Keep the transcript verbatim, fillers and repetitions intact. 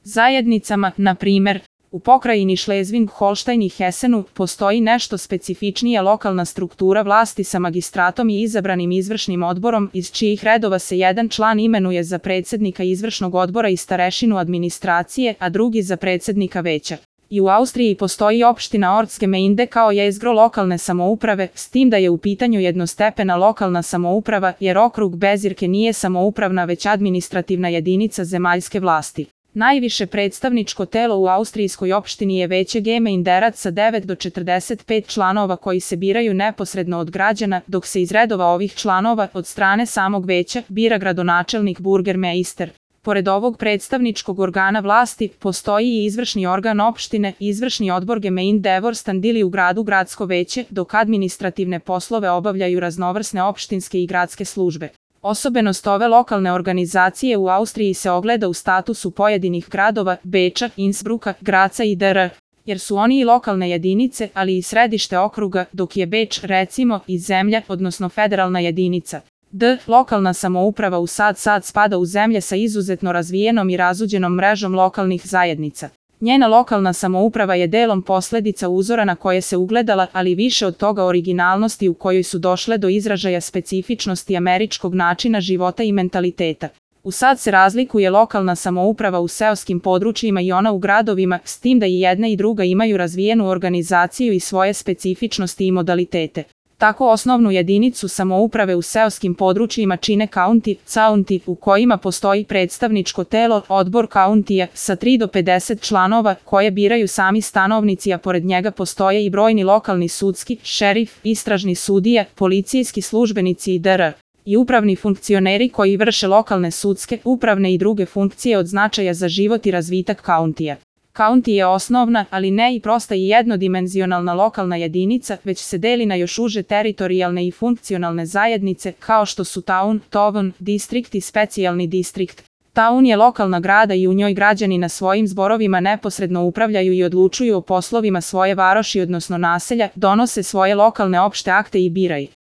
zajednicama, na primer, u pokrajini Šlezving-Holštajn i Hesenu postoji nešto specifičnija lokalna struktura vlasti sa magistratom i izabranim izvršnim odborom, iz čijih redova se jedan član imenuje za predsednika izvršnog odbora i starešinu administracije, a drugi za predsednika veća. I u Austriji postoji opština Ortsgemeinde kao jezgro lokalne samouprave, s tim da je u pitanju jednostepena lokalna samouprava, jer okrug Bezirke nije samoupravna već administrativna jedinica zemaljske vlasti. Najviše predstavničko telo u austrijskoj opštini je Veće Gemeinderac sa devet do četrdeset pet članova koji se biraju neposredno od građana, dok se iz redova ovih članova, od strane samog veća, bira gradonačelnik Burgermeister. Pored ovog predstavničkog organa vlasti, postoji i izvršni organ opštine, izvršni odbor Gemeindevorstand ili u gradu gradsko veće, dok administrativne poslove obavljaju raznovrsne opštinske i gradske službe. Osobenost ove lokalne organizacije u Austriji se ogleda u statusu pojedinih gradova, Beča, Innsbrucka, Graca i dr. jer su oni i lokalne jedinice, ali i središte okruga, dok je Beč, recimo, i zemlja, odnosno federalna jedinica. D. Lokalna samouprava u Sad Sad spada u zemlje sa izuzetno razvijenom i razuđenom mrežom lokalnih zajednica. Njena lokalna samouprava je delom posledica uzora na koje se ugledala, ali više od toga originalnosti u kojoj su došle do izražaja specifičnosti američkog načina života i mentaliteta. U Sad se razlikuje lokalna samouprava u seoskim područjima i ona u gradovima, s tim da i jedna i druga imaju razvijenu organizaciju i svoje specifičnosti i modalitete. Tako osnovnu jedinicu samouprave u seoskim područjima čine county, county, u kojima postoji predstavničko telo, odbor countija, sa tri do pedeset članova, koje biraju sami stanovnici, a pored njega postoje i brojni lokalni sudski, šerif, istražni sudija, policijski službenici i dr. i upravni funkcioneri koji vrše lokalne sudske, upravne i druge funkcije od značaja za život i razvitak countija. County je osnovna, ali ne i prosta i jednodimenzionalna lokalna jedinica, već se deli na još uže teritorijalne i funkcionalne zajednice, kao što su town, town, distrikt i specijalni distrikt. Town je lokalna grada i u njoj građani na svojim zborovima neposredno upravljaju i odlučuju o poslovima svoje varoši odnosno naselja, donose svoje lokalne opšte akte i biraju.